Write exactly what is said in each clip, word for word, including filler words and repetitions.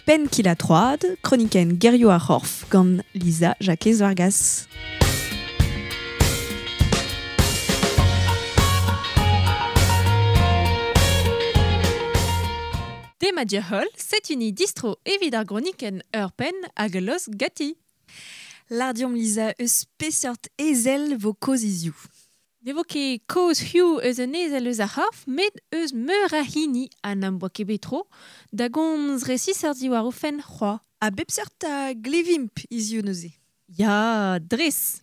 Penn kil a troad, kronikenn gerioù ar c'horf gant Lisa Jakez Vargas. Demat holl, setuni distro evit ar gronikenn ur penn hag los gati. Lardiom Lisa eus peseurt ezel vo kaoz hiziv. Ne vo ket kaoz hiziv eus un ezel eus ar c'horf, met eus meur a hini ha n'am boa ket bet tro da gomz resisoc'h diwar o fenn c'hoazh. A bep seurt a glevimp hiziv neuze. Ya, dres.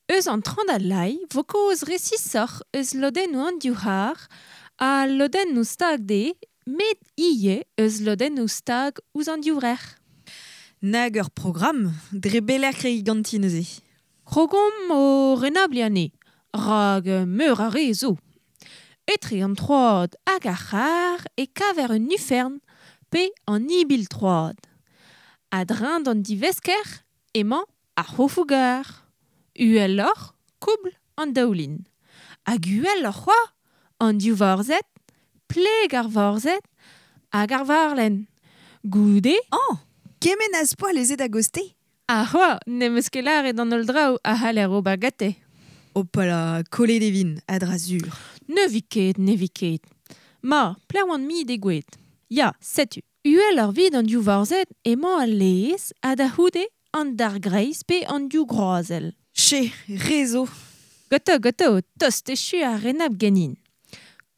Eus an traoñ d'al lae vo kaoz resisoc'h eus lodennoù an divhar ha lodennoù stag dezhe, met ivez eus lodennoù stag ouzh an divrec'h. Nag ur programm, dre belec'h kregiñ ganti neuze. Krogomp o renabliñ anezhe, rak meur a re zo. Etre an troad hag ar c'har e kaver un ufern pe an ibil troad. A-dreñv d'an divesker emañ ar c'hofoù-gar. Uheloc'h, koubl an daoulin. Hag uheloc'h c'hoazh, an div vorzhed, pleg ar vorzhed hag ar varlenn. Goude... Oh, kement az poa lezet a-goste. Ha c'hoazh, n'em eus ket lâret an holl draoù a c'haller ober gante. Hopala, kollet e vin, a-dra-sur. Ne vi ket, ne vi ket. Ma, plev an mi degouezhet. Ya, setu. Uheloc'h 'vit an div vorzhed emañ al laezh ha da c'houde an dargreiz pe an div groazell. Che, re zo. Ganto, ganto, tost echu ar renabl ganin.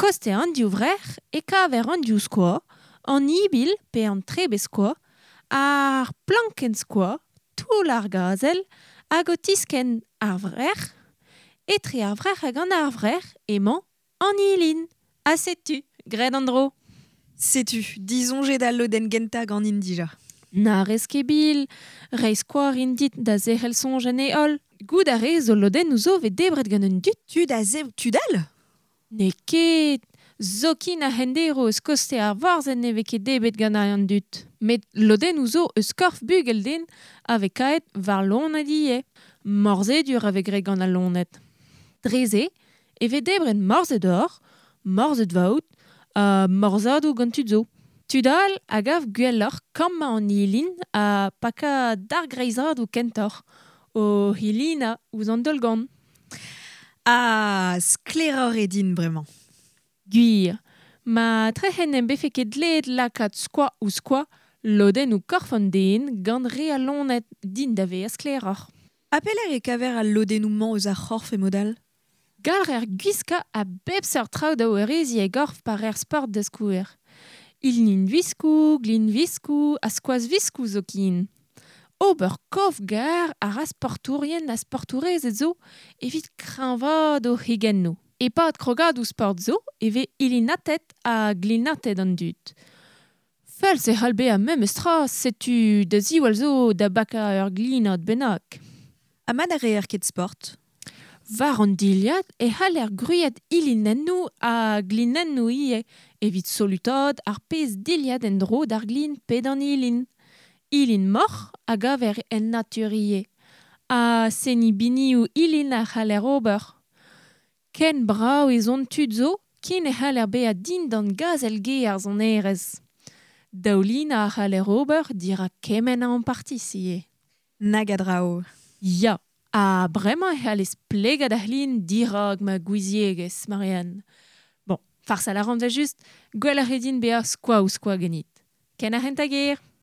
Koste an div vrec'h e kaver an div skoaz, an ibil pe an trebez-skoaz, ar plankenn-skoaz, toull ar gazel hag o tiskenn ar vrec'h. Etre ar vrec'h hag an arvrec'h emañ an ilin. Ha setu, graet an dro. Setu, disoñjet al lodenn gentañ ganin dija. Na rez ket bil, reiñ skoaz rin dit da zerc'hel soñj en e holl. Goût a rez zo lodennoù zo vez debret gant un dud. Tud a zebr tud all ? N'eo ket. Zoken ar c'henderv eus koste ar vorzhed ne vez ket debret gant an dud. Met lodennoù zo eus korf bugel-den a vez kaet war loened ivez. Morzhedur a vez graet gant al loened. Dre-se e vez debret morzhed-hoc'h, morzhed-vaout ha morzhadoù gant tud zo. Tud all a gav gwelloc'h kammañ an ilin ha pakañ dargreizadoù kentoc'h, o hilinañ ouzh an daol-gorn. Ah, sklaeroc'h eo din bremañ. Gwir, ma trec'hen em befe ket dleet lakaat skoaz ouzh skoaz lodennoù korf an den gant re al loened din da vezañ sklaeroc'h. Ha pelec'h e kaver al lodennoù-mañ eus ar c'horf e mod all ? Galrer gwiskañ a bep seurt traoù da wareziñ e gorf pa reer sport da skouer. Ilin viskoù, glin viskoù ha skoaz viskoù zoken. Ober kof-gar a ra sportourien ha sportourezed zo evit kreñvaat o c'higennoù. E-pad krogadoù sport zo e vez ilinatet ha glinatet an dud. Feuls e c'hall bezañ memes tra, setu da ziwall zo da bakañ ur glinad bennak. Ha ma na reer ket sport ? War an dilhad e c'haller gwriat ilinennoù ha glinennoù ivez evit solutaat ar pezh dilhad en-dro d'ar glin pe d'an ilin. Ilin moc'h a gaver en natur ivez. Ha seniñ binioù ilin a c'haller ober. Ken brav ez on tud zo ken e c'haller bezañ dindan gazel-ge ar sonerezh. Daoulinañ a c'haller ober dirak kement a ampartiz ivez. Nag a draoù. Ya, ha bremañ e c'hallez plegañ da c'hlin dirak ma gouiziegezh, Marianne. Bon, farsal a ran da just, gwelloc'h eo din bezañ skoaz ouzh skoaz ganit. Ken ar c'hentañ ger.